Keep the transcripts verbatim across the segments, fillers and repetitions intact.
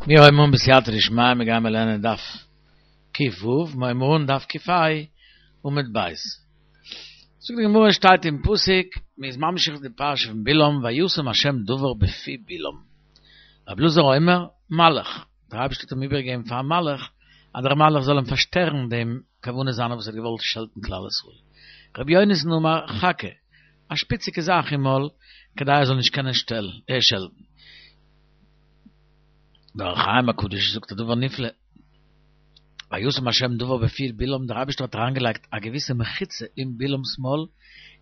מיר הייבן אן בסייעתא דשמיא, מיר גיימער לערנען דף ק"ו, מיר הייבן אן דף ק"ה עמוד ב'. זאגט די גמרא שטייט אין פסוק, מען איז ממשיך די פרשה פון בלעם, וישם השם דבר בפי בלעם. רבי אלעזר אומר, מלאך, דער אייבערשטער האט אים איבערגעגעבן פאר א מלאך, אז דער מלאך זאל אים פארשטערן דעם כוונה זיינע וואס ער האט געוואלט שעלטן כלל ישראל. רבי יונתן אמר, חכה, א שפיציגע זאך אין מויל, כדי ער זאל נישט קענען שעלטן. דער אור החיים הקדוש זאגט א דבר נפלא, וישם השם דבר בפי בלעם, דער אייבערשטער האט אריינגעלייגט א געוויסע מחיצה אין בלעם'ס מויל,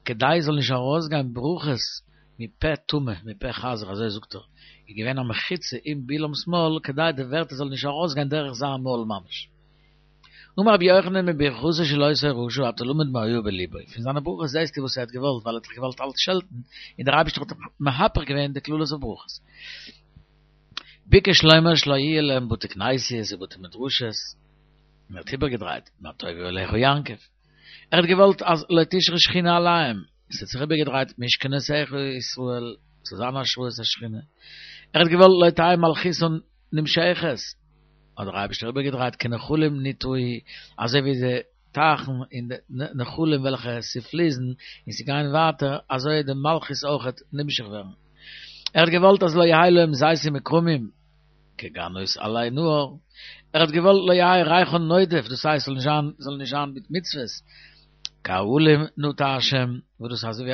כדי עס זאל נישט ארויסגיין ברכות מפה טמא, מפה חזיר, אזוי זאגט ער, איז געווען א מחיצה אין בלעם'ס מויל, כדי די ווערטער זאלן נישט ארויסגיין דורך זיין מויל ממש. אמר רבי יוחנן מברכתו של אותו רשע אתה למד מה היה בלבו, פון זיינע ברכות זעסטו וואס ער האט געוואלט, ווייל ער האט דאך געוואלט אלץ שעלטן, און דער אייבערשטער האט מהפך געווען די קללות אויף ברכות. ביקש לומר שלא יהיה להם בתי כנסיות ובתי מדרשות, און ער האט איבערגעדרייט, מה טובו אהליך יעקב, ער האט געוואלט אז לא תשרה שכינה עליהם, עס האט זיך איבערגעדרייט משכנותיך ישראל, ס'זאל זיין השראת השכינה, ער האט געוואלט לא תהא מלכותן נמשכת, האט דער אייבערשטער איבערגעדרייט כנחלים נטעו, אזוי ווי די טייכן און די נחלים וועלכע ס'פליסן און ס'גייען ווייטער, אזוי די מלכות אויכעט נמשך ווערן. ער האט געוואלט אז לא יהא להם זיתים וכרמים כגנות עלי נהר, ער האט געוואלט לא יהא ריחן נודף, דאס הייסט זאל נישט זיין זאל נישט זיין מיט מצוות, כאהלים נטע השם, וואס דאס אזוי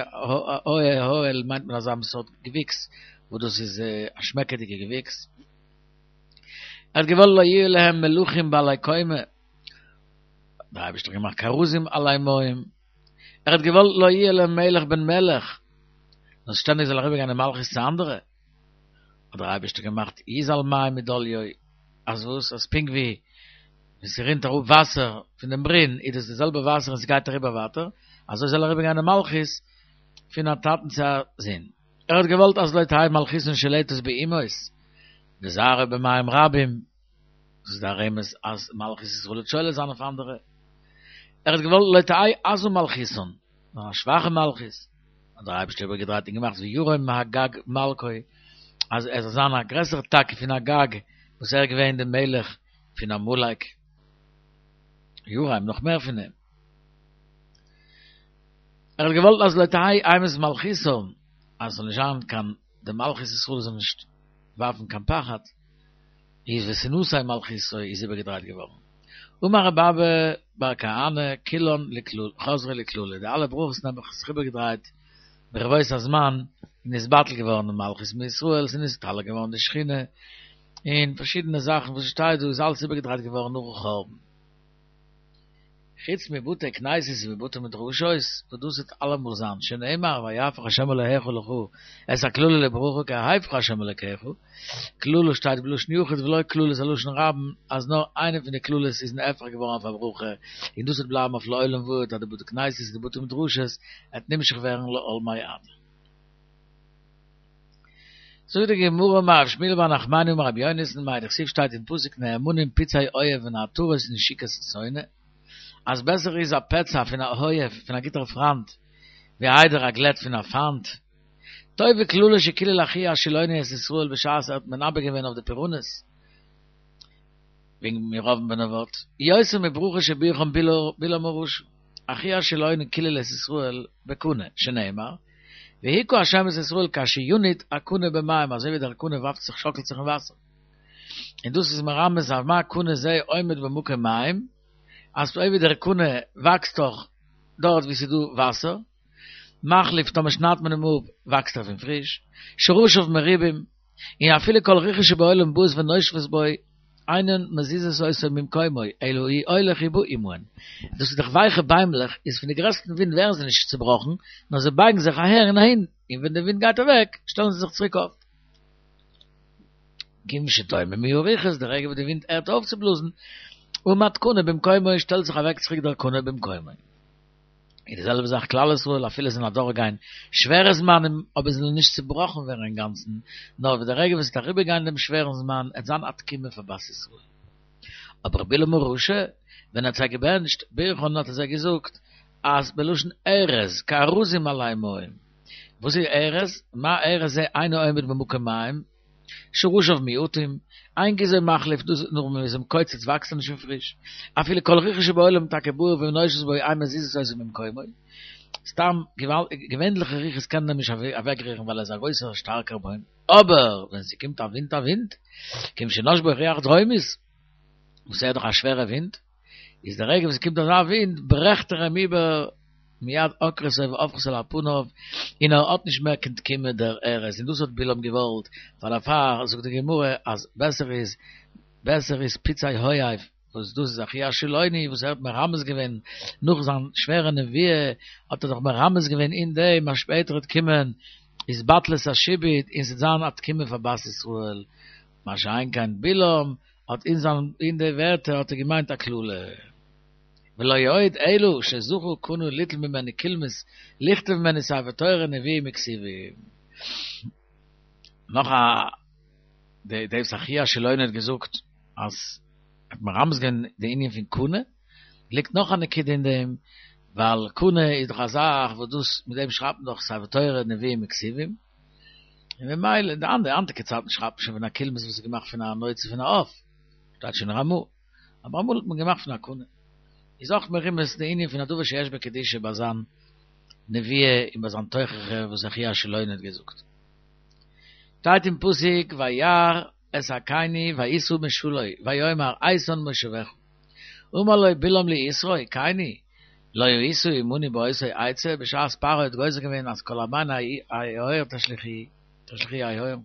ווי אהל מיינט מען אזא סארט געוויקס וואס דאס איז א שמעקעדיגע געוויקס. ער האט געוואלט לא יהיו להם מלכים בעלי קומה, דער אייבערשטער האט געמאכט כארזים עלי מים, ער האט געוואלט לא יהיה להם מלך בן מלך, נאר שטענדיג זאל אריבערגיין די מלכות צו אנדערע, האט דער אייבערשטער געמאכט יזל מים מדליו, אז וואס? אז פונקט ווי ווען ס'רינט אראפ וואסער פון דעם ברין איז דאס די זעלבע וואסער און ס'גייט אריבער ווייטער, אזוי זאל אריבערגיין די מלכות פון א טאטן צו א זון. ער האט געוואלט אז לא תהא מלכותן שולטת באומות, וזרעו במים רבים, דאס איז דער רמז אז מלכות ישראל וועט שולט זיין אויף אנדערע. ער האט געוואלט לא תהא עזה מלכותן, נאר א שוואכע מלכות, האט דער אייבערשטער איבערגעדרייט און געמאכט וירום מאגג מלכו, אז ער זאל זיין א גרעסערע טאקע פון אגג וואס ער איז געווען דער מלך פון עמלק, ירום נאך מער פון אים. ער האט געוואלט אז לא תהא אימת מלכותם, אז עס זאל נישט זיין קיין, די מלכות ישראל זאל נישט ווארפן קיין פחד, איז ותנשא מלכותו איז איבערגעדרייט געווארן. אמר רבי אבא בר כהנא כולן חזרו לקללה, די אלע ברכות נעבעך האט זיך איבערגעדרייט ברבות הזמן און איז בטל געווארן די מלכות מישראל, ס'איז נסתלק געווארן די שכינה, און פארשידענע זאכן וואס שטייט דא איז אלעס איבערגעדרייט געווארן נאכן חורבן. חוץ מבתי כנסיות ובתי מדרשות, וואס דאס וועט אלעמאל זיין, שנאמר ויהפך ה' אלהיך לך את הקללה לברכה כי אהבך ה' אלקיך, קללה שטייט בלשון יחיד ולא קללות א לשון רבים, אז נאר איינע פון די קללות איז נהפך געווארן אויף א ברכה, און דאס וועט בלייבן אויף לעולם ועד אז די בתי כנסיות און די בתי מדרשות עט נמשך ווערן לעולמי עד. זאגט די גמרא אמר רב שמואל בר נחמני אמר רבי יונתן מאי דכתיב שטייט אין פסוק נאמנים פצעי אוהב ונעתרות נשיקות שונא אז בעסער איז א פצע פון א אוהב פון א גוטער פריינט ווי איידער א גלעט פון א פיינט טובה קללה שקילל אחיה השילוני את ישראל בשעת ער האט מנבא געווען אויף די פורענות וועגן ירבעם בן נבט יותר מברכה שבירכן בלעם הרשע אחיה השילוני קילל את ישראל בקנה שנאמר והכה השם את ישראל כאשר ינוט הקנה במים אזוי ווי דער קנה ווארפט זיך שאקלט זיך אין וואסער און דאס איז מרמז אויף מה קנה זה עומד במקום מים אז אזוי ווי דער קנה וואקסט דאך דארט ווי ס'איז דא וואסער מחליף טאמער שניידט מען אים אפ וואקסט ער פון פריש שרשיו מרובים און אפילו כל רוחות שבעולם באות ונושבות בו אינן מזיזות אותו ממקומו, אלא הוא הולך ובא עמהן. דאס איז דאך ווייכע ביימלעך, איז פון די גרעסטן ווינט ווערן זיי נישט צובראכן, נאר זיי בייגן זיך אהער און אהין, און ווען די ווינט גייט אוועק, שטעלן זיי זיך צוריק אויף. כיוון שדוממו הרוחות, די רגע וואס די ווינט הערט אויף צו בלאזן, עמד קנה במקומו, שטעלט זיך אוועק צוריק דער קנה במקומו. און די זעלבע זאך כלל ישראל אפילו זיי וועלן אדורכגיין שווערע זמנים אבער זיי וועלן נישט צובראכן ווערן אינגאנצן, נאר ווי די רגע וואס עס וועט אריבערגיין דעם שווערן זמן עט זיין א תקומה פאר בת ישראל. אבער בלעם הרשע ווען ער האט זיי געבענטשט ברכן האט ער זיי געזאגט אז בלשון ארז כארזים עלי מים, וואס איז ארז? מה ארז זה אינו עומד במקום מים? שורשיו מועטים, אין גזעו מחליף, דאס נאר ווען מ'איז אים קוצץ וואקסט ער נישט פון פריש, אפילו כל רוחות שבעולם טאקע באות ונושבות בו אין מזיזות אותו ממקומו, סתם געווענליכע רוחות קענען אים נישט אוועקרירן ווייל ער איז א גרויסער שטארקער בוים, אבער ווען ס'קומט א ווינט א ווינט, כיון שנשבה בו רוח דרומית, וואס ער איז דאך א שווערע ווינט, איז די רגע וואס ס'קומט אזא ווינט ברעכט ער אים איבער מיד עוקרתו והופכתו על פניו, און ער האט נישט מער קיין תקומה דער ארז, און דאס האט בלעם געוואלט, פאר דערפאר זאגט די גמרא אז בעסער איז בעסער איז פצעי אוהב, וואס דאס איז אחיה השילוני וואס ער האט מרמז געווען נאך זיין שווערע נביאה האט ער דאך מרמז געווען אין דעם אז שפעטער וועט קומען התבטלות השעבוד און ס'וועט זיין א תקומה פאר בת ישראל, מה שאין כן בלעם האט אין זיין אין די ווערטער האט ער געמיינט א קללה. ולא עוד אלא שזכה קנה ליטול ממנו קולמוס לכתוב ממנו ספר תורה נביאים וכתובים. נאך א די די וואס אחיה השילוני האט געזאגט אז האט מרמז געווען די ענין פון קנה, ליגט נאך א נקודה אין דעם, ווייל קנה איז דאך א זאך וואס דאס מיט דעם שרייבט מען דאך ספר תורה נביאים וכתובים, און ממילא אין די אנדערע היינטיגע צייטן שרייבט מען שוין פון א קולמוס וואס איז געמאכט פון א נוצה פון א עוף, שטייט שוין אין רמ"א, אבער אמאל האט מען געמאכט פון א קנה. איז אויך מרומז די ענין פון א דבר שיש בו קדושה ביי זיין נביאה און ביי זיין תוכחה וואס אחיה השילוני האט געזאגט. שטייט אין פסוק וירא את הקיני וישא משלו ויאמר איתן מושבך אמר לו בלעם ליתרו קיני לא היית עמנו באותה עצה בשעת פרעה האט גוזר געווען אז כל הבן היאור תשליכוהו היאור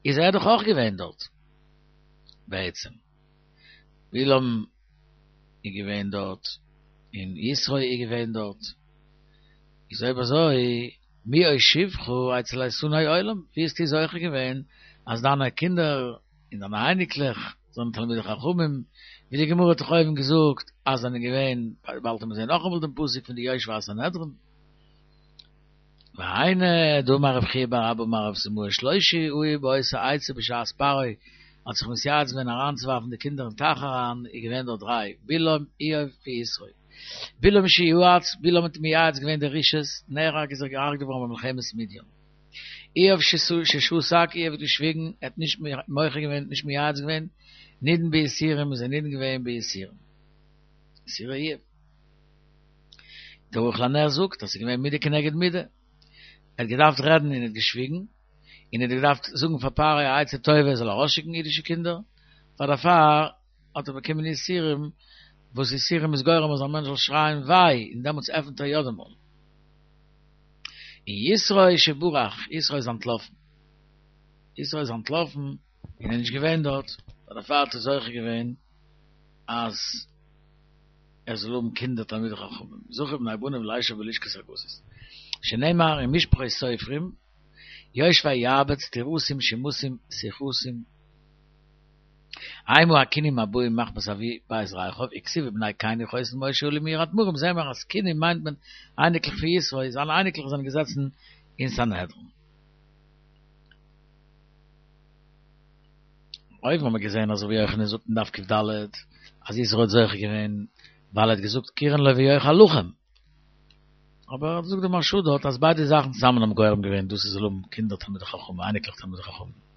איז ער דאך אויך געווען דארט בעצם בלעם איז געווען דארט און יתרו איז געווען דארט איז אויב אזוי מי הושיבך אצל איתני עולם, ווי האסטו זוכה געווען אז דיינע קינדער און דיינע אייניקלעך זענען תלמידי חכמים, ווי די גמרא האט דאך אויבן געזאגט אז זענען געווען, באלד וועט מען זען נאכאמאל דעם פסוק פון די יושבי הסנהדרין. והיינו דאמר רב חייא בר אבא אמר רב סימאי שלושה היו באותה עצה בשעת פרעה האט זיך מתייעץ געווען אריינצוווארפן די קינדער אין טייך אריין, איז געווען דארט דריי, בלעם, איוב ויתרו. בלעם שיעץ, בלעם האט מייעץ געווען די רשעות, נהרג איז ער געהארגט געווארן במלחמת מדין. איוב ששתק, איוב האט געשוויגן, ער האט נישט מוחה געווען, נישט מייעץ געווען, נידון ביסורים איז ער נידון געווען ביסורים. יסורי איוב. דער ערוך לנר זאגט אז ס'איז געווען מידה כנגד מידה. ער האט געדארפט רעדן און ער האט געשוויגן, און ער האט געדארפט זאגן פאר פרעה א עצה טובה ער זאל ארויסשיקן אידישע קינדער, פאר דערפאר האט ער באקומען יסורים, וואס יסורים איז גורם אז א מענטש זאל שרייען וויי, און דעמאלטס עפנט ער יא די מויל. און יתרו שברח, יתרו איז אנטלאפן. יתרו איז אנטלאפן און איז נישט געווען דארט, פאר דערפאר האט ער זוכה געווען אז ער זאל האבן קינדער תלמידי חכמים, זכו בני בניו לישב בלשכת הגזית, שנאמר אין משפחות סופרים, יושבי יעבץ תירסים שמתים שיחתים. המה הכינים הבאים מחמת אבי בית רכב, וכתיב ובני קיני חותן משה עלו מירד מרום, זעהן מיר אז כינים מיינט מען אייניקלעך פון יתרו, זיינע אייניקלעך זענען געזעצן אין סנהדרין. אויבן האבן מיר געזעהן אז רבי יוחנן זאגט אין דף ק"ד אז יתרו האט זוכה געווען ווייל ער האט געזאגט קראן לו ויאכל לחם, אבער זאגט די מהרש"א דארט אז ביידע זאכן צוזאמען האבן גורם געווען דאס ער זאל האבן קינדער תלמידי חכמים, אייניקלעך תלמידי חכמים.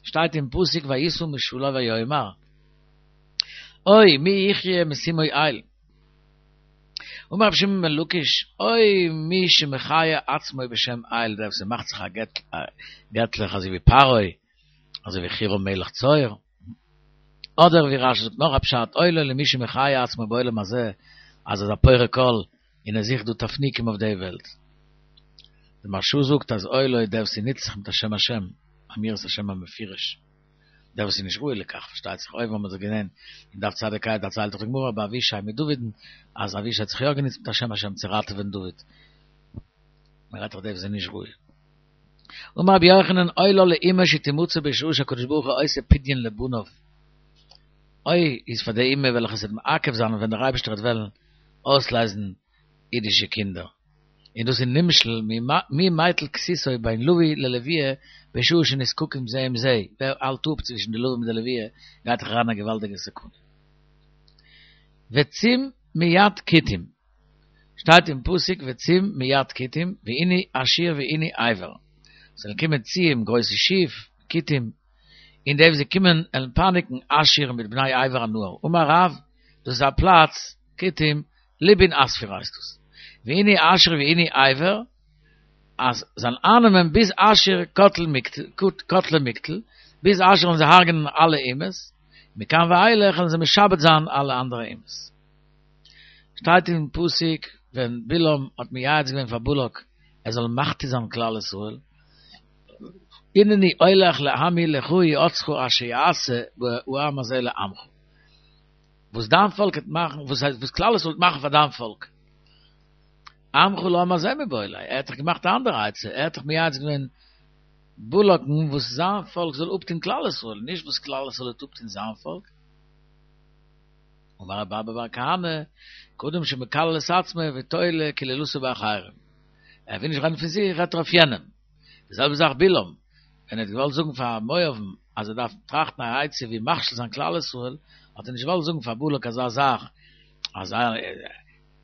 שטייט אין פסוק וישא משלו ויאמר אוי מי יחיה משימו אל אמר רבי שמעון בן לקיש אוי מי שמחיה עצמו בשם אל דער וואס מאכט זיך א געטליך אזוי ווי פרעה אזוי ווי חירם מלך צור אדער ווי רש"י זאגט נאך א פשט אוי לו למי שמחיה עצמו בעולם הזה אז ער איז א פורק עול און ער זוכט דא תפנוקים אויף די וועלט. די מהרש"א זאגט אז אוי לו דער וואס נוצט זיך מיט א שם השם, אמירת השם המפורש, דער וואס איז נישט ראוי לכך, פארשטייט זיך אויבן האבן מיר דאך געזען אין דף צ"ה דערציילט דאך די גמרא ביי אבישי מיט דוד'ן אז אבישי האט זיך יא גענוצט מיט א שם השם צו ראטעווען דוד, מען רעדט דאך דער וואס איז נישט ראוי. אמר רבי יוחנן אוי לה לאימא שתמצא בשעה שהקדוש ברוך הוא עושה פדיון לבניו, אוי איז פאר די אימא וועלכע עס וועט מעכב זיין ווען דער אייבערשטער וועט וועלן אויסלייזן אידישע קינדער, און דאס איז נמשל מי מטיל כסותו בין לביא ללויה בשעה שנזקקים זה עם זה, ווער האלט אפ צווישן די לווה מיט די לויה גייט דאך אריין א געוואלדיגע סכנה. וצום מיד כותים, שטייט אין פסוק וצום מיד כותים וענו אשור וענו עבר, זאלן קומען ציים, גרויסע שיף, כותים, און די וואס זיי קומען וועלן פייניגן אשור מיט בני עבר הנהר. אמר רב, דאס איז א פלאץ, כותים, לובין אספיר הייסט דאס. ועינוי אשור ועינוי עבר, אז זיי וועלן אייננעמען ביז אשור קטלא מקטל, ביז אשור וועלן זיי הרג'נען אלע אומות, מכאן ואילך וועלן זיי משעבד זיין אלע אנדערע אומות. שטייט אין פסוק ווען בלעם האט מייעץ געווען פאר בלק ער זאל מחטיא זיין כלל ישראל, הנני הולך לעמי לכה איעצך אשר יעשה העם הזה לעמך. וואס דיין פאלק וועט מאכן, וואס הייסט וואס כלל ישראל וועט מאכן פאר דיין פאלק. עמך לעם הזה מיבעי ליה, ער האט דאך געמאכט א אנדערע עצה, ער האט דאך מייעץ געווען בלק'ן וואס זיין פאלק זאל אפטון כלל ישראל, נישט וואס כלל ישראל וועט אפטון זיין פאלק. אמר רבי אבא בר כהנא, כאדם שמקלל את עצמו ותולה קללתו באחרים. ער וויל נישט רעדן פון זיך, רעדט ער אויף יענעם. די זעלבע זאך בלעם, ווען ער האט געוואלט זאגן פאר מואב'ן אז ער דארף טראכטן א עצה ווי מכשיל זיין כלל ישראל, האט ער נישט געוואלט זאגן פאר בלק אזא זאך, אזא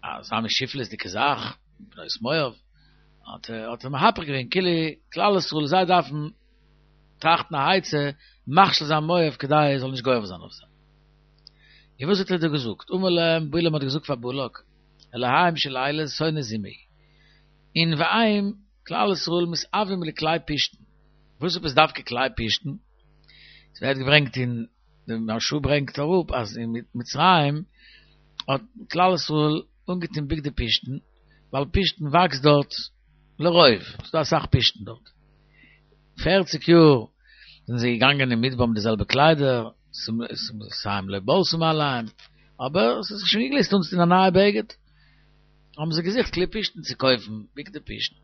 אזא מין שפלות'דיגע זאך, בנות מואב, האט ער האט ער מהפך געווען כאילו כלל ישראל זיי דארפן טראכטן א עצה מכשיל זיין מואב כדי ער זאל נישט גובר זיין אויף זיי. און וואס האט ער דא געזאגט? אמר להם, בלעם האט געזאגט פאר בלק, אלהיהם של אלה שונא זימה הוא, און והם, כלל ישראל מתאווים לכלי פשתן. וואס עפעס דווקא כלי פשתן? עס ווערט געברענגט אין, די מהרש"א ברענגט אראפ אז אין מצרים האט כלל ישראל אנגעטון בגדי פשתן, ווייל פשתן וואקסט דארט לרוב, ס'איז דא אסאך פשתן דארט. פערציג יאר זענען זיי געגאנגען אין מדבר מיט די זעלבע קליידער, שמלותיהם לא בלתה מעליהם, אבער עס איז זיך שוין געגליסט אנצוטון א נייע בגד, האבן זיי געזוכט כלי פשתן צו קויפן, בגדי פשתן.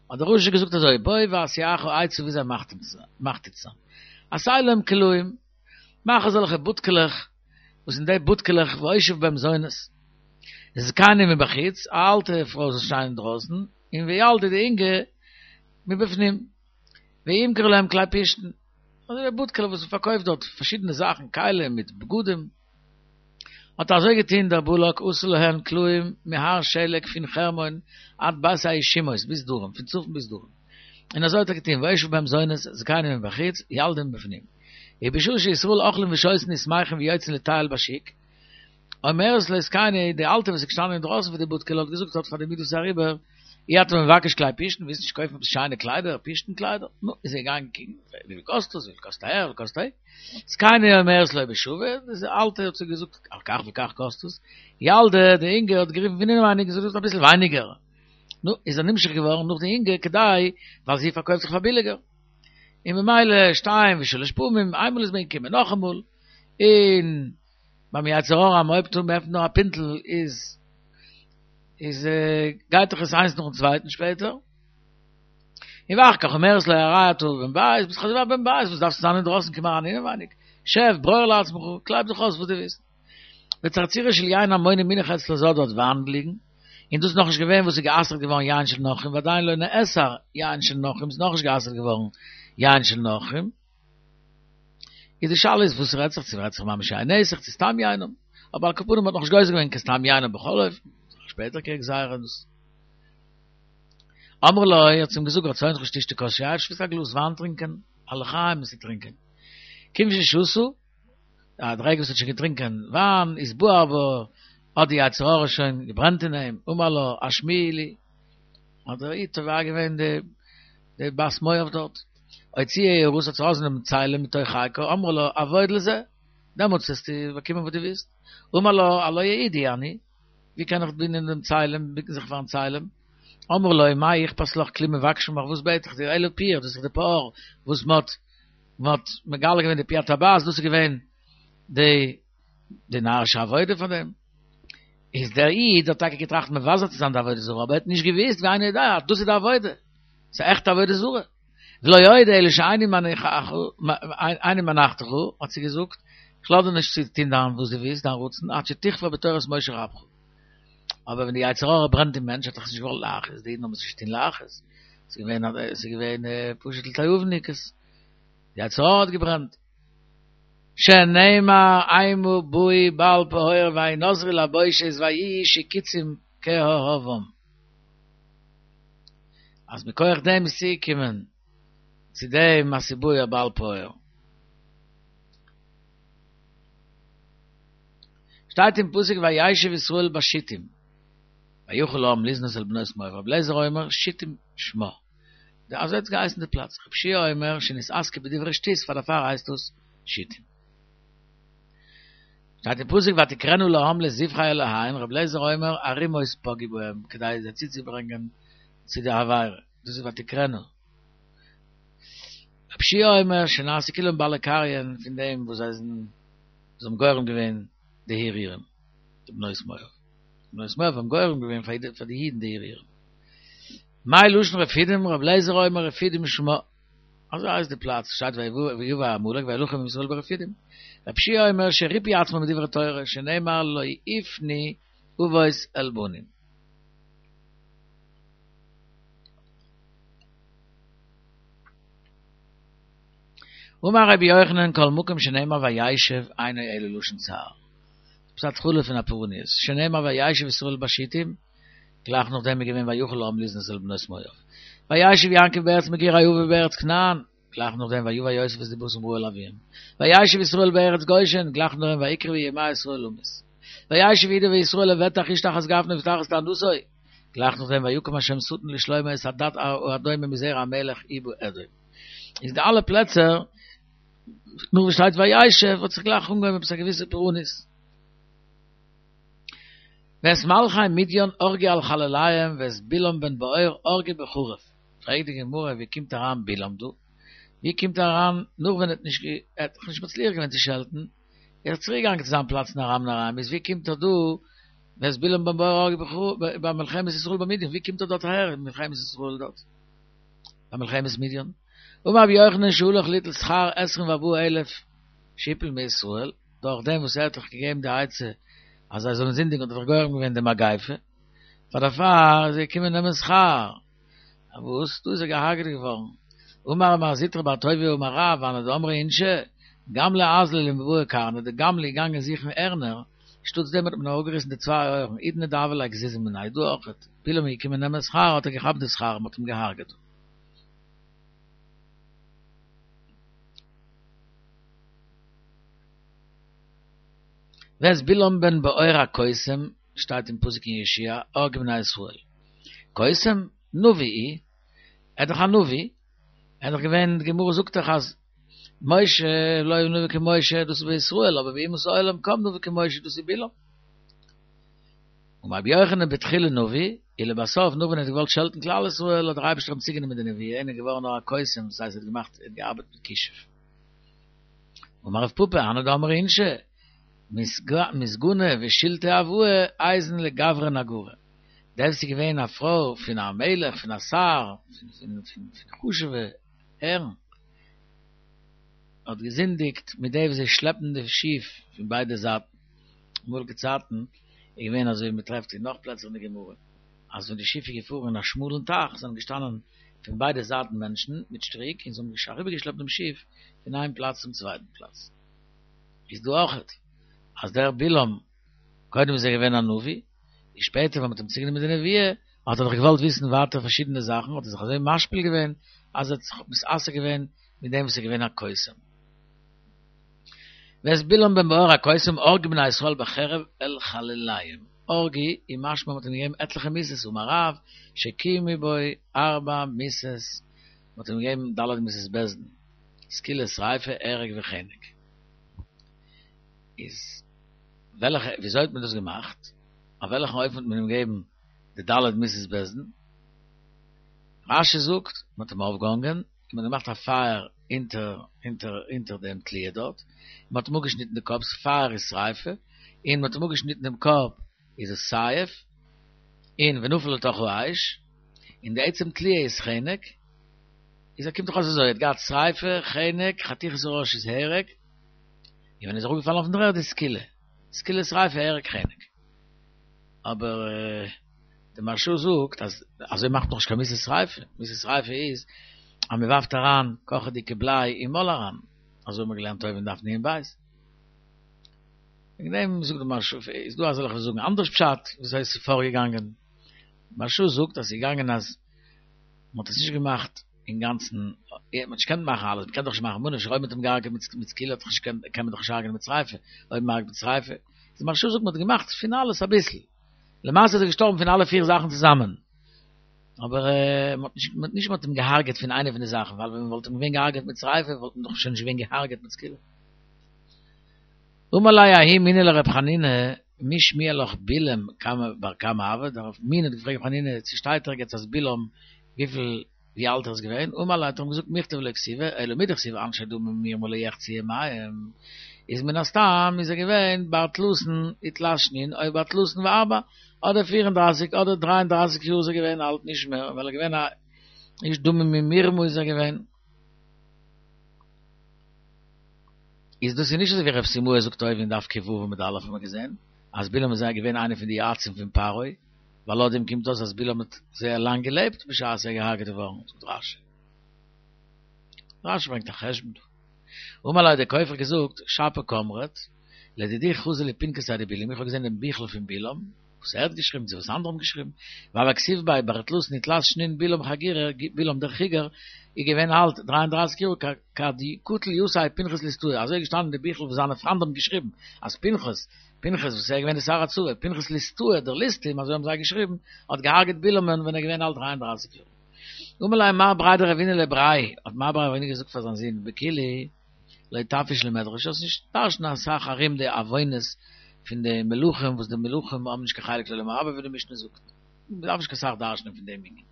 האט דער רשע געזאגט אזוי, בוא ואשיאך עצה וויאזוי מחטיא צו זיין, עשה להם קלעים, מאך אזעלכע בודקעלעך, וואס אין די בודקעלעך והושיב בהם זונות, זקנים מבחוץ, א אלטע פרוי זאל שטיין אינדרויסן, און וילדי די אינגע מבפנים, וימכרו להם כלי פשתן, אזוי ווי א בודקעלע וואס מ'פארקויפט דארט פארשידענע זאכן, כלים מיט בגדים. האט אזוי געטון דער בלק עשה להן קלעים מהר שלג פון חרמון עד בית הישימות ביז דרום, פון צפון ביז דרום. און אזוי האט ער געטון, והושיב בהם זונות, זקנים מבחוץ, ילדים מבפנים. ובשעה שישראל אוכלים ושותין ושמחים ויוצאים לטייל בשוק, אומרת לזקנה, די אלטע וואס איז געשטאנען אינדרויסן פון די בודקעלע האט געזאגט האט פאר די איד וואס איז אריבער, אי אתה מבקש כלי פשתן, ווילסט נישט קויפן עפעס שיינע קליידער, פשתן קליידער? נו, איז ער געגאנגען קוקן, וויפיל קאסט עס, וויפיל קאסט אהער, וויפיל קאסט אהין, זקנה אומרת לו בשווה, די אלטע האט זי געזאגט, על כך וכך קאסט עס, ילדה, די אינגע האט גערופן פון אינעווייניג און געזאגט אביסל ווייניגער, נו, איז ער נמשך געווארן נאך די אינגע כדי, ווייל זי פארקויפט זיך פאר ביליגער, און ממילא שתיים ושלש פעמים, איינמאל איז מען געקומען נאכאמאל, און. ביים יצר הרע אז מ'הויבט אן מ'עפנט נאר א פינטל איז איז גייט דאך עס איינס נאכן צווייטן שפעטער. און ואחר כך אומרת לו הרי אתה בן בית, ביסט דאך אזוי ווי א בן בית, וואס דארפסטו זיין אינדרויסן קום אריין אינעווייניג, שב ברור לעצמך, קלייב זיך אויס וואס דו ווילסט. וצרצורה של יין עמוני מונח אצלה זי האט דארט וויין ליגן, און דאס איז נאכנישט געווען וואס איז גע'אסר'ט געווארן יין של נכרים ועדיין לא נאסר יין של נכרים, ס'איז נאכנישט גע'אסר'ט געווארן יין של נכרים. איז די שאלה איז וואס רעדט זיך, צו רעדט זיך ממש יין נסך צו סתם יינם, אבער על כל פנים מ'האט נאכנישט גוזר געווען קיין סתם יינם בכל אופן, שפעטער קען גזירה דאס. אמרה לו, האט זי אים געזאגט רצונך שתשתה כוס יין, ווילסט א גלאז וויין טרינקען, א לחיים צו טרינקען. כיוון ששתה, די רגע וואס ער האט שוין געטרינקען וויין, איז בער בו, האט די יצר הרע שוין געברענט אין אים, אמר לה, השמיעי לי, האט דער איד תובע געווען די די בת מואב דארט, הוציאה יערתה האט זי ארויסגענומען צלם מתוך חיקה, אמרה לו עבוד לזה, דעמאלטס וועסטו באקומען וואס דו ווילסט, אמר לה הלא יהודי אני, ווי קען איך דינען דעם צלם, בוקן זיך פארן צלם, אמרה לו מה אכפת לך כלום מבקשין ממך, וואס בעט איך דיר, אלא פיר, דאס איז דאך די פאר וואס מען האט מען האט מגלה געווען די פי הטבעת, דאס איז געווען די די נארישע עבודה פון דעם. איז דער איד האט טאקע געטראכט מבזה צו זיין די עבודה זרה, אבער ער האט נישט געוואוסט ואינו יודע אז דאס איז די עבודה, ס'איז א עכטע עבודה זרה. ולא עוד אלא שאיני מניחתך, האט זי געזאגט, איך לאז דיר נישט צו טון דיין וואס דו ווילסט, דיין רצון, עד שתכפר בתורת משה רבך. אבער ווען די יצר הרע ברענט אין מענטש האט ער עס נישט געוואלט להכעיס, די אידן האבן עס נישט געטון להכעיס, ס'איז געווען ס'איז געווען פשוט לתיאבונ'ניקעס, די יצר הרע האט געברענט. שנאמר המה באו בעל פעור וינזרו לבושת ויהיו שקצים כאהבם. אז מכח דעם איז צוגעקומען צו דעם אז ס'איז בא בעל פעור. שטייט אין פסוק וישב ישראל בשיטים ויחל העם לזנות אל בנות מואב רבי אליעזר אומר שיטים שמה אזוי האט געהייסן די פלאץ רבי יהושע אומר שנתעסקו בדברי שטות פאר דערפאר הייסט עס שיטים שטייט אין פסוק ותקראנה לעם לזבחי אלהיהן רבי אליעזר אומר ערימות פגעו בהם כדי זיי צוצוברענגען צו די עבירה דאס איז ותקראנה רבי יהושע אומר שנעשו כולם בעלי קריין פון דעם וואס זיי זענען זיי האבן גורם געווען די הרהורים, די בנות מואב. די בנות מואב האבן גורם געווען פאר די אידן די הרהורים. מאי לשון רפידים, רבי אליעזר אומר רפידים שמה. אזוי הייסט די פלאץ, שטייט ויבא עמלק וילחם עם ישראל ברפידים. רבי יהושע אומר שריפו עצמם מדברי תורה, שנאמר לא יפנו אבות אל בנים. אמר רבי יוחנן כל מקום שנאמר וישב אינו אלא לשון צער. דאס איז התחלה פון א פורעניות. שנאמר וישב ישראל בשיטים, גלייך נאכדעם איז געווען ויחל העם לזנות אל בנות מואב. וישב יעקב בארץ מגורי אביו בארץ כנען, גלייך נאכדעם ויבא יוסף את דבתם רעה אל אביהם. וישב ישראל בארץ גושן, גלייך נאכדעם ויקרבו ימי ישראל למות. וישב יהודה וישראל לבטח איש תחת גפנו ותחת תאנתו, גלייך נאכדעם ויקם השם שטן לשלמה את הדד האדומי מזרע המלך הוא באדום. איז די אלע פלעצער נאך וואס שטייט וישב האט זיך גלייך אנגעהויבן עפעס א געוויסע פורענות. ואת מלכי מדין הרגו על חלליהם ואת בלעם בן בעור הרגו בחרב. פרעגט די גמרא ווי קומט אריין בלעם דא? ווי קומט ער אריין נאך ווען ער האט נישט ער האט דאך נישט מצליח געווען צו שעלטן, ער איז צוריק געגאנגען צו זיין פלאץ אין ארם נהריים, איז ווי קומט ער דא ואת בלעם בן בעור הרגו בחרב ביי מלחמת ישראל במדין, ווי קומט ער דארט אהער אין מלחמת ישראל דארט ביי מלחמת מדין? אמר רבי יוחנן שהלך ליטול שכר עשרים וארבעה אלף שהפיל מישראל, דורך דעם וואס ער האט דאך געגעבן די עצה אז זיי זאלן זינדיגן האט ער דאך גורם געווען די מגיפה, פאר דערפאר איז ער געקומען נעמען שכר, וואס דא איז ער געהארגעט געווארן, אמר מר זוטרא בר טוביה אמר רב, והני דאמרי אינשי, גמלא אזלא למבעי קרנא, די גמלא איז געגאנגען זוכן הערנער, שטאטס דעם האט מען אראפגעריסן די צוויי אויערן, האידנא דהוה ליה גזיזא מינייהו, דא אויכעט, בלעם איז געקומען נעמען שכר האט ער געכאפט די שכר און מ'האט אים געהארגעט. ואת בלעם בן בעור הקוסם, שטייט אין פסוק אין יהושע, הרגו בני ישראל. קוסם? נביא הוא? ער איז דאך א נביא, ער איז דאך געווען, די גמרא זאגט דאך אז משה לא היה נביא כמשה, דאס איז בישראל, אבער באומות העולם קם נביא כמשה, דאס איז בלעם. אמר רבי יוחנן בתחילה נביא, ולבסוף נאך ווען ער האט געוואלט שעלטן כלל ישראל האט דער אייבערשטער אים צוגענומען די נבואה און ער איז געווארן נאר א קוסם, דאס הייסט ער האט געמאכט, ער האט געארבעט מיט כישוף. אמר רב פפא, הני דאמרי אינשי, מתגנא ושילטי אבהא איזון לגברא נגרא. דער וואס איז געווען א פרוי פון א מלך, פון א שר, פון חשוב'ע הערן, האט געזינדיגט מיט די וואס זיי שלעפן די שיף פון ביידע זייטן. אמאליגע צייטן איז געווען אזוי ווי מען טרעפט אין נאך פלעצער אין די גמרא, אז ווען די שיף איז געפארן אין א שמאלן טייך זענען געשטאנען פון ביידע זייטן מענטשן מיט שטריק און זיי האבן אריבערגעשלעפט דעם שיף פון איין פלאץ צום צווייטן פלאץ. איז דא אויכעט אז דער בלעם קודם איז ער געווען א נביא, און שפעטער ווען מ'האט אים צוגענומען די נבואה האט ער דאך געוואלט וויסן ווייטער פארשידענע זאכן האט ער זיך אזוי משפיל געווען אז ער האט זיך מתעסק געווען מיט דעם וואס איז געווען א קוסם. ואת בלעם בן בעור הקוסם הרגו בני ישראל בחרב אל חלליהם, הרגו איז משמע מ'האט אים געגעבן עטליכע מיתות אמר רב שקיימו בו ארבע מיתות מ'האט אים געגעבן ד' מיתות בית דין, סקילה שריפה הרג וחנק. איז וועלכע וויאזוי האט מען דאס געמאכט? אויף וועלכן אופן האט מען אים געגעבן די ד' מיתות בית דין? רש"י זאגט מען האט אים אויפגעהאנגען און מען האט געמאכט א פייער אונטער אונטער אונטער דעם תליה דארט, און מען האט אים אפגעשניטן די קאפ, פייער איז שריפה, און מען האט אים אפגעשניטן דעם קאפ איז עס סייף, און ונפל לתוך האש, און די עצם תליה איז חנק, איז ער קומט דאך אויס אזוי, ער האט געהאט שריפה, חנק, חתיכת הראש איז הרג, און ווען ער איז אראפגעפאלן אויפן דר'ערד איז סקילה, סקילה שריפה הרג חנק. אבער די מהרש"א זאגט אז אזוי מאכט מען נישט קיין מיתת שריפה, מיתת שריפה איז אז מען ווארפט אריין קאכעדיגע בליי אין מויל אריין, אזוי האט מען געלערנט אויבן אין דף נ"ב. וועגן דעם זאגט די מהרש"א, איז דא אזעלכע וואס זאגן אנדערש פשט וויאזוי עס איז פארגעגאנגען, מהרש"א זאגט אז ס'איז געגאנגען אז מען האט עס נישט געמאכט אינגאנצן, מען האט נישט געקענט מאכן אלעס, מען קען דאך נישט מאכן ממה נפשך, אויב מען האט אים געהארגעט מיט סקילה האט דאך נישט קען מען דאך נישט הרג'נען מיט שריפה, אויב מען הרג'ט מיט שריפה, די מהרש"א זאגט מען האט געמאכט פון אלעס אביסל, למעשה איז ער געשטארבן פון אלע פיר זאכן צוזאמען, אבער מען האט נישט נישט מען האט אים געהארגעט פון איינע פון די זאכן, ווייל ווען מען וואלט אים געווען געהארגעט מיט שריפה וואלט מען דאך שוין נישט געווען געהארגעט מיט סקילה. אמר ליה ההוא מינא לר' חנינא, מי שמיע לך בלעם כמה בר כמה הוה, דער מין האט געפרעגט ר' חנינא צו שטייט ערגעץ אז בלעם וויפיל ווי אלט ער איז געווען, אמר ליה האט ער אים געזאגט מיכתב לא כתיבא, אלא מדכתיב אנשי דמים מרמה לא יחצו ימיהם, איז מן הסתם איז ער געווען בר תלתין ותלת שנין או בר תלתין וארבע, אדער פֿיר און דרײַסיק אדער דרײַ און דרײַסיק יאר איז ער געווען אלט נישט מער, ווייל ער איז געווען א איש דמים ומרמה איז ער געווען. איז דאס איז נישט אזוי ווי רב סימאי זאגט אויבן אין דף ק"ו עמוד א' האט מען געזען אז בלעם איז געווען איינער פון די יועצים פון פרעה, ווייל לויט דעם קומט אויס אז בלעם האט זייער לאנג געלעבט בשעת ער איז געהארגעט געווארן, זאגט רש"י. רש"י ברענגט א חשבון דא. אמר ליה האט דער כופר געזאגט, שפיר קאמרת, לדידי חזי לי פנקסיה דבלעם, איך האב געזען דעם ביכל פון בלעם, וואס ער האט געשריבן צו וואס אנדערע האבן געשריבן, והוה כתיב ביה בר תלתין ותלת שנין בלעם חגירא, בלעם דער חיגר, איז געווען אלט דרײַ און דרײַסיק יאר כד קטיל יתיה פנחס ליסטאה, אזוי איז געשטאנען אין די ביכל וואס זיינע פריינד האבן געשריבן, אז פנחס, פנחס וואס ער איז געווען די שר הצבא, פנחס ליסטאה דער ליסטים, אזוי האבן זיי געשריבן, האט געהארגעט בלעמ'ן ווען ער איז געווען אלט דרײַ און דרײַסיק יאר. אמר ליה מר בריה דרבינא לבריה, האט מר בריה דרבינא געזאגט פאר זיין זון, בכולהו לא תפיש למדרש, זאלסט נישט דרש'נען אסאך ארום די עוונות פון די מלכים וואס די מלכים האבן נישט קיין חלק לעולם הבא ווי די משנה זאגט, מען דארף נישט קיין סאך דרש'נען פון דעם ענין.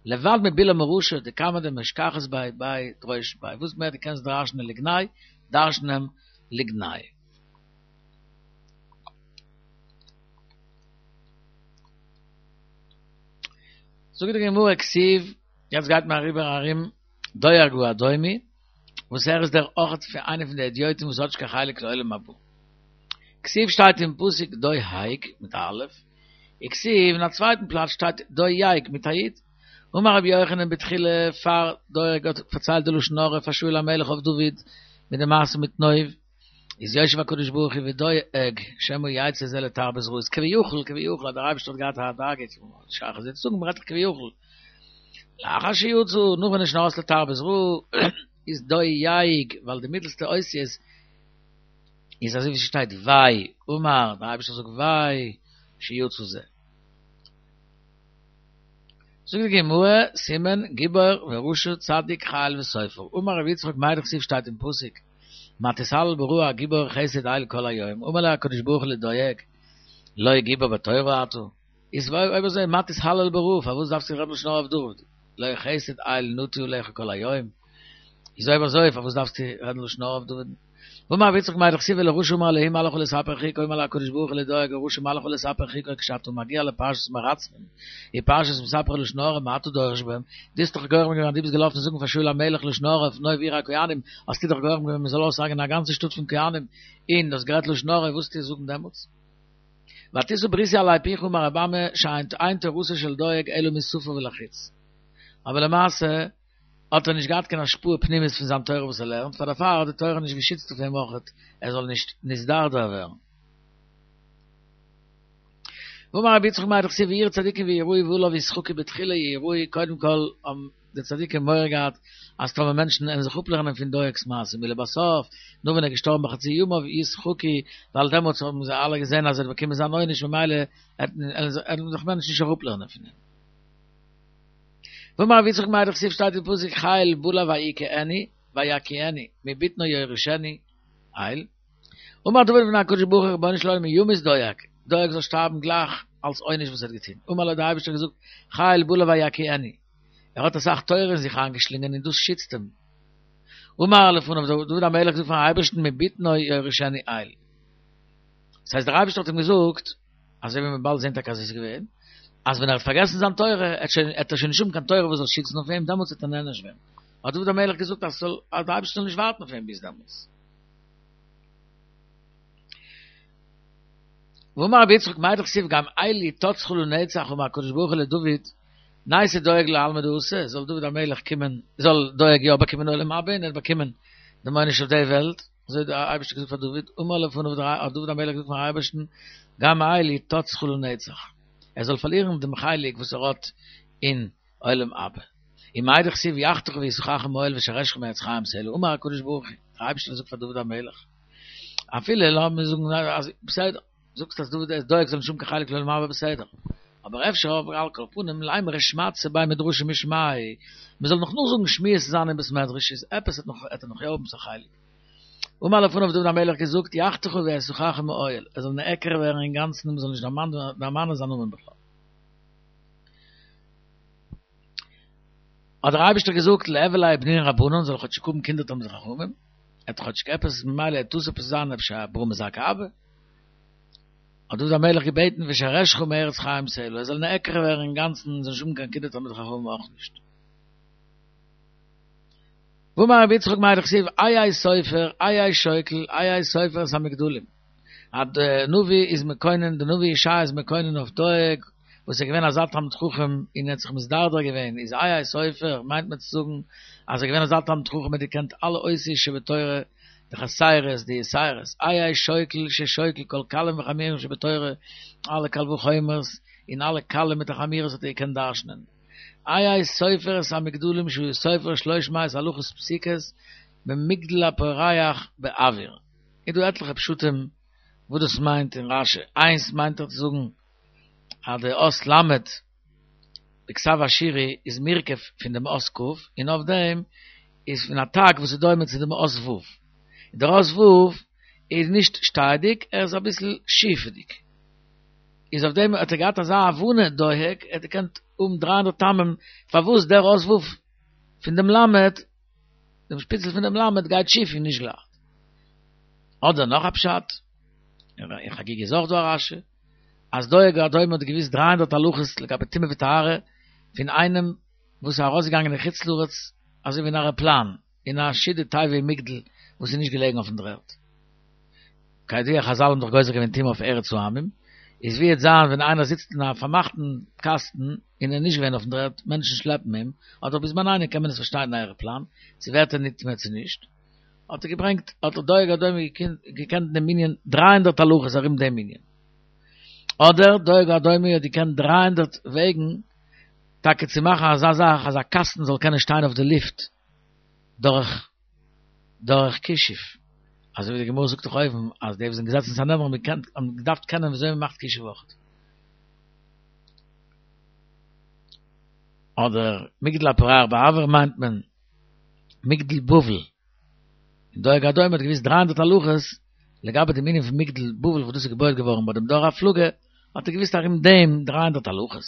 לבד מבלעם הרשע דכמה דמשכחת ביה ביה דרוש ביה, וואס מער דו קענסט דרש'נען לגנאי, דרש'ן אים לגנאי. זאגט די גמרא כתיב, יעצט גייט מען אריבער ארום דואג האדומי, וואס ער איז דער אויכעט פון איינער פון די הדיוטים וואס האט נישט קיין חלק לעולם הבא. כתיב שטייט אין פסוק דוהג מיט א אלף, וכתיב אין א צווייטן פלאץ שטייט דויג מיט א י'. אמר רבי יוחנן בתחילה פאר דואג האט פארציילט די לשון הרע פאר שאול המלך אויף דוד מיט די מעשה מיט נוב, איז יושב הקדוש ברוך הוא ודואג שמא יצא זה לתרבות רעה, איז כביכול כביכול אז דער אייבערשטער האט געהאט א דאגה שייך אזוי צו זאגן מ'רעדט דאך כביכול. לאחר שיצא, נאך ווען ער איז שוין ארויס לתרבות רעה, איז דויג, ווייל די מיטלסטע אותיות איז אזוי ווי ס'שטייט וויי, אמר, דער אייבערשטער זאגט וויי, שיצא זה. זאגט די גמרא, סימן, גיבור ורשע צדיק חיל וסופר, אמר רבי יצחק מאי דכתיב שטייט אין פסוק, מה תתהלל ברעה הגיבור חסד אל כל היום, אמר ליה הקדוש ברוך הוא לדואג, לא גיבור בתורה אתה? איז אויב אזוי מה תתהלל ברעה, פארוואס דארפסטו רעדן לשון הרע אויף דוד? לא חסד אל נטוי עליך כל היום, איז אויב אזוי פארוואס דארפסטו רעדן לשון הרע אויף דוד? ואמר רבי יצחק מאי דכתיב ולרשע אמר אלהים מה לך לספר חוקי אמר לו הקדוש ברוך הוא לדואג הרשע מה לך לספר חוקי כשאתה מגיע לפרשת מרצחים ופרשת מספרי לשון הרע מה אתה דורש בהם דו האסט דאך גורם געווען אז דו ביסט געלאפן זאגן פאר שאול המלך לשון הרע אויף נוב עיר הכהנים האסטו דאך גורם געווען מען זאל אויסהרג'ענען א גאנצע שטאט פון כהנים און דו האסט גערעדט לשון הרע וואס וועסטו זאגן דעמאלטס? ותשא בריתי עלי פיך אמר רבי אמי שאין תורתו של דואג אלא משפה ולחוץ. אבער למעשה האט ער נישט געהאט קיין השפעה פנימית פון זיין תורה וואס ער לערנט, פאר דערפאר האט די תורה נישט געשיצט אויף אים אויכעט ער זאל נישט נתדרדר ווערן. ואמר רבי יצחק מאי דכתיב ויראו צדיקים וייראו ועליו ישחקו בתחילה ייראו קודם כל האבן די צדיקים מורא געהאט אז טאמער מענטשן וועלן זיך אפלערנען פון דואג'ס מעשים ולבסוף נאך ווען ער איז געשטארבן בחצי ימיו ישחקו ווייל דעמאלטס האבן זיי אלע געזען אז ער האט באקומען זיין עונש ממילא וועלן זיך מענטשן נישט אראפלערנען פון אים. ואמר רבי יצחק מאי דכתיב שטייט אין פסוק חיל בלע ויכהני ויקיאני מבטנו יורישנו אל אמר דוד לפני הקדוש ברוך הוא רבונו של עולם ימות דואג, דואג זאל שטארבן גלייך אלס עונש וואס ער האט געטון, אמר לו האט דער אייבערשטער געזאגט חיל בלע ויקיאני, ער האט אסאך תורה אין זיך איינגעשלינגען און דאס שיצט אים. אמר לפניו האט דוד המלך געזאגט פארן אייבערשטן מבטנו יורישנו אל. דאס הייסט דער אייבערשטער האט אים געזאגט, אזוי ווי מ'וועט באלד זען טאקע אז עס איז געווען, אז ווען ער האט פארגעסן זיין תורה, עט ער שוין נישט האבן קיין תורה וואס זאל שיצן אויף אים, דעמאלטס וועט ער נענש ווערן. האט דוד המלך געזאגט אז דער אייבערשטער זאל נישט ווארטן אויף אים ביז דעמאלטס. ואמר רבי יצחק מאי דכתיב גם אל יתצך לנצח אמר הקדוש ברוך הוא לדוד נייתי דואג לעלמא דאתי זאל דוד המלך קומען זאל דואג יא באקומען עולם הבא און ער האט באקומען דעם עונש אויף די וועלט אזוי האט דער אייבערשטער געזאגט פאר דוד אמר לפניו האט דוד המלך געזאגט פארן אייבערשטן גם אל יתצך לנצח ער זאל פארלירן דעם חלק וואס ער האט אין עולם הבא. און מאי דכתיב יחתך וישמחך מאהל ושרשך מעץ חיים סלה אמר הקדוש ברוך הוא, דער אייבערשטער זאגט פאר דוד המלך, אפילו לאמיר זאגן אז בסדר, זאגסט אז דוד דואג זאל נישט האבן קיין חלק לעולם הבא בסדר, אבער אפשר אבער על כל פנים לימרו שמעתתא בי מדרשא משמיה, מען זאל נאך נאכזאגן שמועות זיין אין בית מדרש איז עפעס וועט נאך וועט ער נאך יא האבן א חלק. אמר לפניו דוד המלך געזאגט יחתך ויסוכך מאוהל, ער זאל נעקר ווערן אינגאנצן און מען זאל נישט דערמאנען זיין נאמען בכלל. האט דער אייבערשטער געזאגט ליהוו ליה בנין רבנן זאל כאטשיג האבן קינדער תלמידי חכמים, ער האט כאטשיג עפעס ממילא עט דאס עפעס זיין אפשר א ברא מזכה אבא. האט דוד המלך געבעטן ושרשך מארץ חיים סלה, ער זאל נעקר ווערן אינגאנצן און זאל נישט האבן קיין קינדער תלמידי חכמים אויך נישט. ואמר רבי יצחק מאי דכתיב איה סופר איה שוקל איה סופר את המגדלים, אז די נביא איז מקונן, די נביא ישעי' איז מקונן אויף דואג וואס איז געווען אזא תלמיד חכם און ער האט זיך מתדרדר געווען, איז איה סופר מיינט מען צו זאגן אז ער איז געווען אזא תלמיד חכם ער האט געקענט אלע אותיות שבתורה, די חסרות די יתירות, איה שוקל ששוקל כל קלים וחמורים שבתורה, אלע קל וחומר'ס און אלע קלים מיט די חמורות האט ער געקענט דרשנ'ען. איה סופר את המגדלים שהוא סופר שלוש מאות הלכות פסוקות במגדל הפורח באוויר. איז דא עטליכע פשטים וואס דאס מיינט אין רשי, איינס מיינט ער צו זאגן אז די אות ל' בכתב אשורי איז מורכב פון דעם אות כ' און אויף דעם איז פון א תג וואס איז דומה צו דעם אות ו', און דער אות ו' איז נישט שטייעדיג ער איז אביסל שיפעדיג, איז אויף דעם האט ער געהאט אזא הבנה דואג, ער האט געקענט האבן דרײַ הונדערט טעמים פארוואס דער אות ו' פון דעם ל', דעם שפיצל פון דעם ל' גייט שיף און נישט גלאט. אדער נאך א פשט, אין חגיגה איז אויך דא א רשי, אז דואג האדומי האט געוואוסט דרײַ הונדערט הלכות לגבי טומאה וטהרה פון איינעם וואס איז ארויסגעגאנגען אין חוץ לארץ אזוי ווי אין א עראפלאן אין א שידה תיבה ומגדל וואס איז נישט געלעגן אויפן דר'ערד. כידוע חזל האבן דאך גוזר געווען טומאה אויף ארץ העמים, איז ווי עט זיין ווען איינער זיצט אין א פארמאכטן קאסטן און ער איז נישט געווען אויפן דר'ערד, מענטשן שלעפן אים, אדער בזמנינו קען מען עס פארשטיין אין א עראפלאן, צו ווערט ער נטמא צו נישט. האט ער געברענגט, האט דער דואג האדומי געקענט דעם ענין דרײַ הונדערט הלכות ארום דעם ענין. אדער דואג האדומי האט געקענט דרײַ הונדערט וועגן טאקע צו מאכן אזא זאך אז א קאסטן זאל קענען שטיין אויף די לופט דורך דורך כישוף. אזוי ווי די גמרא זאגט דאך אויבן אז די וואס זענען געזעצן אין סנהדרין האבן געקענט האבן געדארפט קענען ווי אזוי מען מאכט כישוף אויך. אדער מגדל הפורח באויר מיינט מען מגדל בבל. און דואג האדומי האט געוואוסט דרײַ הונדערט הלכות לגבי דעם ענין פון מגדל בבל וואס דאס איז געבויעט געווארן ביי דעם דור הפלגה, האט ער געוואוסט ארום דעם דרײַ הונדערט הלכות.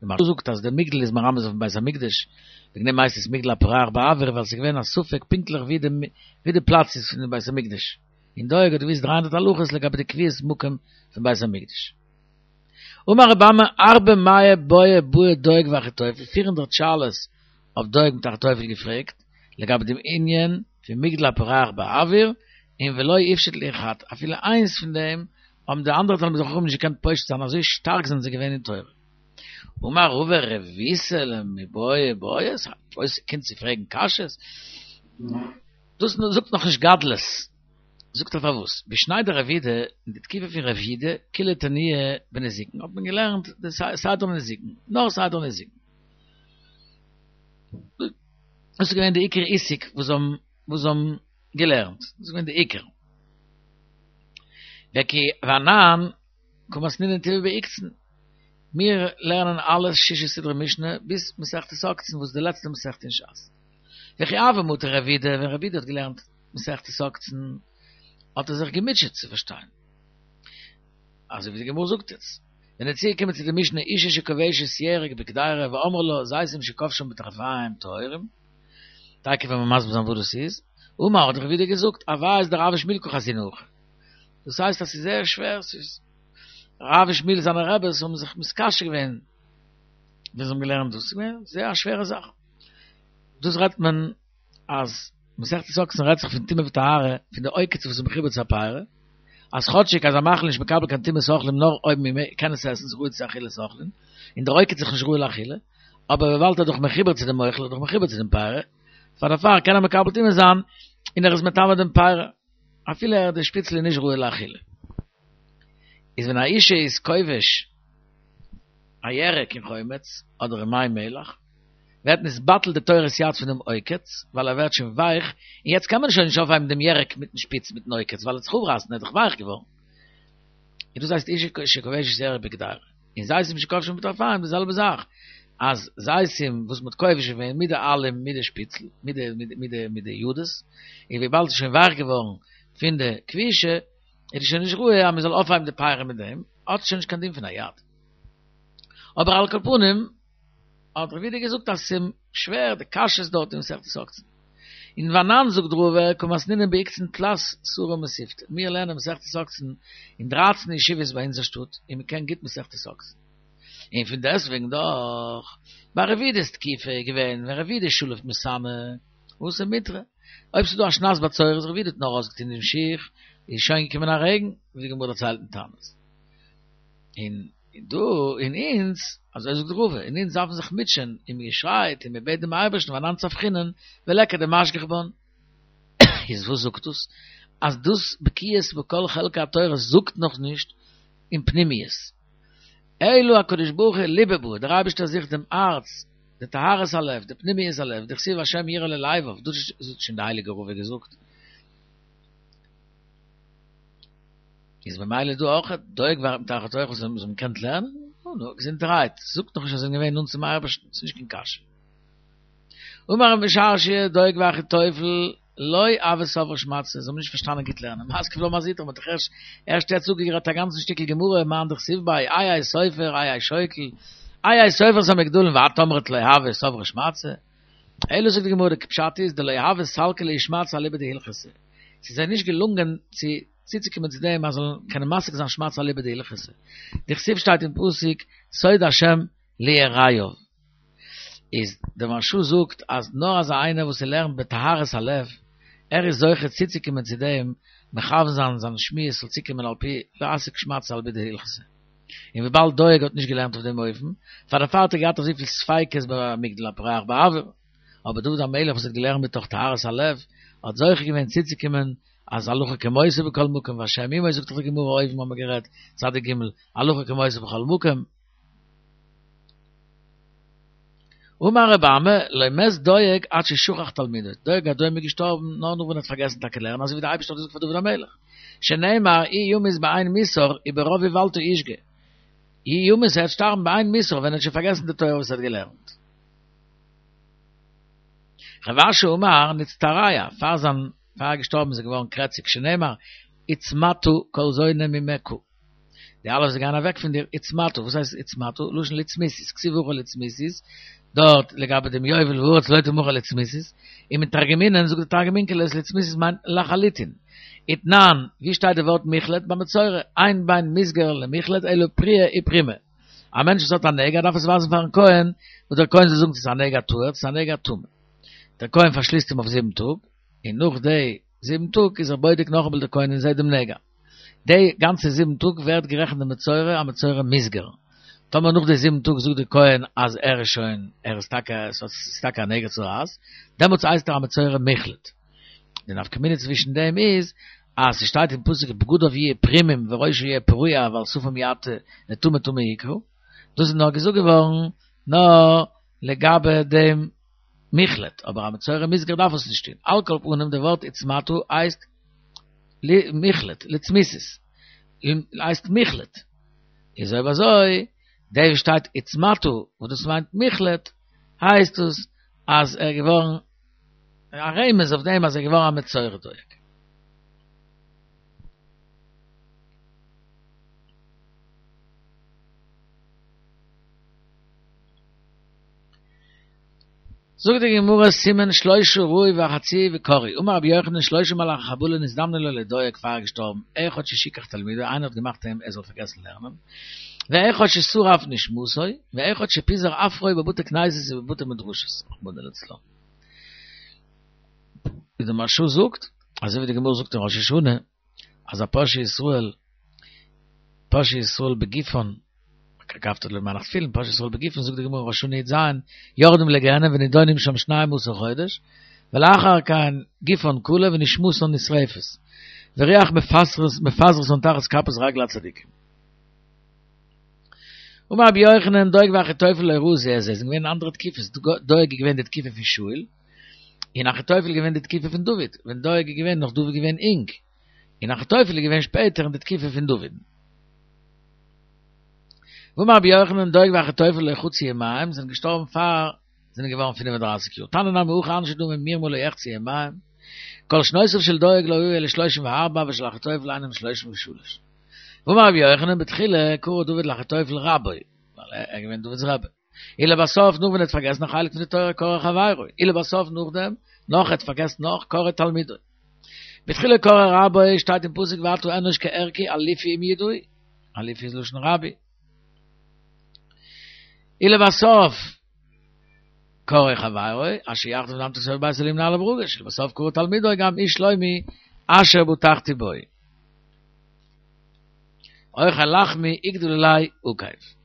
די מהרש"א זאגט אז דער מגדל איז מרמז אויפן בית המקדש, וועגן דעם הייסט עס מגדל הפורח באויר ווייל ס'איז געווען א ספק פונקטליך ווי די ווי די פלאץ איז פון דעם בית המקדש, און דואג האט געוואוסט דרײַ הונדערט הלכות לגבי די קביעות מקום פון בית המקדש. אמר רבי אמי ארבע מאה בעי בעו דואג ואחיתופל, פֿיר הונדערט שאלות האט דואג מיט אחיתופל געפרעגט לגבי דעם ענין פון מגדל הפורח באויר, און ולא איפשיט להו חד, אפילו איינס פון דעם האבן די אנדערע תלמידי חכמים נישט געקענט פושט זיין אזוי שטארק זענען זיי געווען אין תורה. אמר רבא רבותא למיבעי בעיא, ס'איז א גרויסע קונץ צו פרעגן קשיות, דאס זאגט נאכנישט גדלות. זאגט ער פארוואס בשני דרב יהודה אין די תקופה פון רב יהודה כולהו תניוה בנזיקין האט מען געלערנט די סדר נזיקין נאר סדר נזיקין דאס איז געווען די עיקר עיסוק וואס זיי האבן וואס זיי האבן געלערנט דאס איז געווען די עיקר וכי ואנן קא מתנינן טובא בעוקצין מיר לערנען אלע שישה סדרי משנה ביז מסכת עוקצין וואס איז די לעצטע מסכת אין שס וכי הוה מטי רב יהודה ווען רב יהודה האט געלערנט מסכת עוקצין האט ער זיך געמוטשעט צו פארשטיין. אזוי ווי די גמרא זאגט עס. ווען ער איז צוגעקומען צו די משנה אישה שכובשת ירק בקדירה ואמרו לה זיתים שכבשן בטרפיים טהורים, תיכף וועלן מיר מסביר זיין וואס דאס איז, אמר האט רב יהודה געזאגט עביות דרב ושמואל קא חזינא הכא. דאס הייסט אז ס'איז זייער שווער, ס'איז רב ושמואל זיינע רעבעס האבן זיך מתקשה געווען ווען זיי האבן געלערנט דאס, ס'איז געווען זייער א שווערע זאך. דאס רעדט מען אז מסכת עוקצין רעדט זיך פון טומאה וטהרה פון די עוקץ וואס איז מחובר צו א פרי, אז כאטשיג אז א מאכל איז נישט מקבל קיין טומאת אוכלים נאר אויב מען קען עס עסן ס'איז ראוי צו אכילת אוכלים, און דער עוקץ איז דאך נישט ראוי לאכילה, אבער וויבאלד ער איז דאך מחובר צו דעם אוכל, ער איז דאך מחובר צו דעם פרי, פאר דערפאר קען ער מקבל טומאה זיין און ער איז מטמא דעם פרי, אפילו ער די שפיצל איז נישט ראוי לאכילה. איז ווען א אישה איז כובש א ירק אין חומץ אדער אין מי מלח, ווערט נתבטל די תורת יד פון דעם עוקץ, ווייל ער ווערט שוין ווייך, און יעצט קען מען שוין נישט אויפהייבן דעם ירק מיטן שפיץ מיטן עוקץ, ווייל ער וועט זיך אפרייסן, ער איז דאך ווייך געווארן. און דאס הייסט אשה שכובשת ירק בקדירה. און זיתים שכבשן בטרפיים די זעלבע זאך, אז זיתים וואס מ'האט כובש געווען מיט די עלים מיט די שפיצל, מיט די מיט די מיט די ידות, און וויבאלד ס'איז שוין ווייך געווארן פון די כבישה, איז עס שוין נישט ראוי אז מ'זאל אויפהייבן די פירות מיט דעם, האט עס שוין נישט קיין דין פון א יד. אבער על כל פנים האט רב יהודה געזאגט אז ס'איז שווער די קשיות דארט אין מסכת עוקצין. און ואנן זאגט רבא קא מתנינן בעוקצין תלת סרי מתיבתא, מיר לערנען מסכת עוקצין אין דרייצן ישיבות ביי אונזער שטאט און מ'קען גוט מסכת עוקצין. און פון דעסטוועגן דאך ביי רב יהודה'ס תקופה איז געווען ווען רב יהודה שלף מסאנא התם מיטרא, אויב ס'איז דא א שנת בצורת רב יהודה האט נאר אויסגעטון דעם שיך איז שוין געקומען א רעגן, ווי די גמרא דערציילט אין תענית. און דא און אונז, אזוי זאגט רבא, און אונז דארפן זיך מוטשען, און מען שרייט און מען בעט דעם אייבערשטן ואנן צווחינן וליכא דמשגיח בן. איז וואס זאגט דאס? אז דאס בקיאות בכל חלקי התורה זאגט נאך נישט אין פנימיות. אלא הקדוש ברוך הוא ליבא בעי, דער אייבערשטער זוכט דעם הארץ, די טהרת הלב, די פנימיות הלב, דכתיב השם יראה ללבב, דאס האט שוין די הייליגע רבא געזאגט. איז ממילא דא אויך דואג מיט אחיתופל זיי האבן געקענט לערנען? נו נו, געזונטערהייט, זאגט נאך נישט אז זיי זענען געווען נאנט צום אייבערשטן, ס'איז נישט קיין קשיא. אמר רב משרשיא, דואג ואחיתופל, לא הוו סברי שמעתתא, זיי האבן נישט פארשטאנען גוט לערנען, מתקיף לה מר זוטרא, מ'האט דאך ערשט ערשט יעצט אפגערעדט א גאנצן שטיקל גמרא, מאן דכתיב ביה, איה סופר, איה שוקל, איה סופר את המגדלים, ואת אמרת לא הוו סברי שמעתתא. אלא זאגט די גמרא, די פשט איז דלא הוה סלקי להו שמעתתא אליבא דהלכתא, ס'איז זיי נישט געלונגען צו צוצוקומען צו דעם אז זאלן קענען משיג זיין שמעתתא אליבא דהלכתא. דכתיב שטייט אין פסוק סוד השם ליראיו. איז דער מהרש"א זאגט אז נאר אזא איינער וואס ער לערנט בטהרת הלב, ער איז זוכה צוצוקומען צו דעם מכוון זיין זיין שמועס זאל צוקומען על פי להשיג שמעתתא אליבא דהלכתא. און וויבאלד דואג האט נישט געלערנט אויף דעם אופן, פאר דערפאר האט ער געהאט אזויפיל ספיקות ביי מגדל הפורח באויר. אבער דוד המלך וואס האט געלערנט מתוך טהרת הלב, האט זוכה געווען צוצוקומען אז הלכה כמותו בכל מקום והשם עמו זאגט דאך די גמרא אויבן האבן מיר גערעדט צדיק ג' הלכה כמותו בכל מקום. אמר רבי אמי לא מת דואג עד ששכח תלמודו, דואג האדומי איז געשטארבן נאר נאך ווען ער האט פארגעסן טאקע לערנען אזוי ווי די אייבערשטער האט געזאגט פאר דוד המלך שנאמר הוא ימות באין מוסר וברוב איוולתו ישגה, הוא ימות ער וועט שטארבן באין מוסר ווען ער האט שוין פארגעסן די תורה וואס ער האט געלערנט. רב אשי אמר נצטרע, פאר זיין פאר ער איז געשטארבן איז ער געווארן קרעציג, שנאמר הוצמתה כל זונה ממך, די אלע וואס גייען אוועק פון דיר, הוצמתה, וואס הייסט הוצמתה? לשון לצמיתות, כתיב הכא לצמיתות, דארט לגבי דעם יובל והארץ לא תמכר לצמיתות, ומתרגמינן זאגט די תרגום אונקלוס לצמיתות מיינט לחלוטין. ותנן, ווי שטייט די ווארט מוחלט? ביי מצורע, אין בין מוסגר למוחלט אלא פריעה ופרימה. א מענטש וואס האט א נגע דארף עס ווייזן פארן כהן, וואס דער כהן זאל זאגן צו עס איז א נגע טהור צו עס איז א נגע טמא. דער כהן פארשליסט אים אויף זיבן טאג, און נאך די זיבן טאג איז ער בודק נאכאמאל דער כהן און זעט דעם נגע. די גאנצע זיבן טאג ווערט גערעכנט די מצורע א מצורע מוסגר. טאמער נאך די זיבן טאג זאגט דער כהן אז ער איז שוין, ער איז טאקע, עס איז טאקע א נגע צרעת, דעמאלטס הייסט ער א מצורע מוחלט. די נפקא מינה צווישן דעם איז, אז ס'שטייט אין פסוק בגדיו יהיו פרומים וראשו יהיה פרוע ועל שפם יעטה לטמא טמא יקרא, דאס איז נאר געזאגט געווארן נאר לגבי דעם מוחלט, אבער א מצורע מוסגר דארף עס נישט טון, על כל פנים די ווארט הוצמתה הייסט מוחלט, לצמיתות, הייסט מוחלט, איז אויב אזוי דער וואס שטייט הוצמתה וואס דאס מיינט מוחלט, הייסט עס אז ער איז געווארן א רמז אויף דעם אז ער איז געווארן א מצורע דואג. זאגט די גמרא סימן שלשה ראו וחצי וקראו אמר רבי יוחנן שלשה מלאכי חבלה נזדמנו לו לדואג פאר ער איז געשטארבן אחד ששיכח תלמודו איינער האט געמאכט אים ער זאל פארגעסן לערנען ואחד ששרף נשמתו ואחד שפיזר עפרו בבתי כנסיות ובבתי מדרשות רחמנא לצלן ווי די מהרש"א זאגט אזוי ווי די גמרא זאגט אין ראש השנה אז הפושעי ישראל פושעי ישראל בגופן כרכפתא דלא מנח תפילין פושעי ישראל בגופן זאגט די גמרא ראש השנה י"ז יורדים לגיהנם ונידונים שם שנים עשר חודש ולאחר כן גופן כלה ונשמתן נשרפת ורוח מפזרתן תחת כפות רגלי הצדיקים. אמר רבי יוחנן, דואג ואחיתופל לא ראו זה את זה, זענען געווען אנדערע תקופות, דואג איז געווען די תקופה פון שאול, און אחיתופל איז געווען די תקופה פון דוד, ווען דואג איז געווען נאך דוד געווען אינג, און אחיתופל איז געווען שפעטער אין די תקופה פון דוד. ואמר רבי יוחנן, דואג ואחיתופל לא חצו ימיהם, זענען געשטארבן פאר זענען געווארן פֿינף און דרײַסיק יאר. תניא נמי הכי אנשי דמים מרמה לא יחצו ימיהם, כל שנותיו של דואג לא היו אלא שלושים וארבע ושל אחיתופל אינם שלושים ושלש. ואמר רבי יוחנן בתחילה קרא דוד לאחיתופל רבו, ווייל ער איז געווען דוד'ס רבי. ולבסוף נאך ווען ער האט פארגעסן א חלק פון די תורה קרא חברו, ולבסוף נאכדעם נאך ער האט פארגעסן נאך קרא תלמידו. בתחילה קרא רבו שטייט אין פסוק ועתה אנוש כערכי אלופי ומיודעי, אלופי איז לשון רבי. ולבסוף קרא חברו, אשר יחדיו נדמתי סביב בית אלהים נעלה ברגש, ולבסוף קרא תלמידו גם איש שלומי אשר בטחתי בו. אוכל לחמי יגדל עלי עקב.